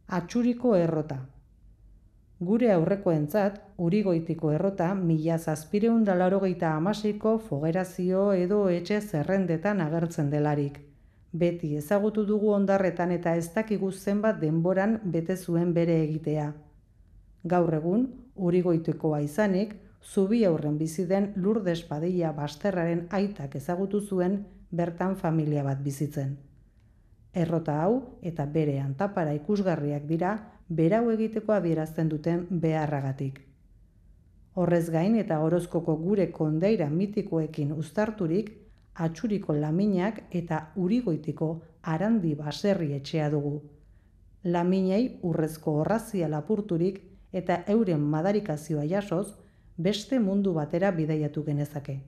Atxuriko errota. Gure aurrekoentzat, Urigoitiko errota 1786ko fogerazio edo etxe zerrendetan agertzen delarik. Beti ezagutu dugu hondarretan eta ez dakigu zenbat denboran bete zuen bere egitea. Gaur egun, Urigoitikoa izanik, Zubi aurren bizi den Lourdes Padilla Basterraren aitak ezagutu zuen bertan familia bat bizitzen. Errota hau eta bere antapara ikusgarriak dira berau egiteko adierazten duten beharragatik. Horrez gain eta Orozkoko gure kondaira mitikoekin uztarturik, Atxuriko Laminak eta Urigoitiko Arandi baserri etxea dugu. Laminei urrezko orrazia lapurturik eta euren madarikazioa jasoz, beste mundu batera bidaiatu genezake.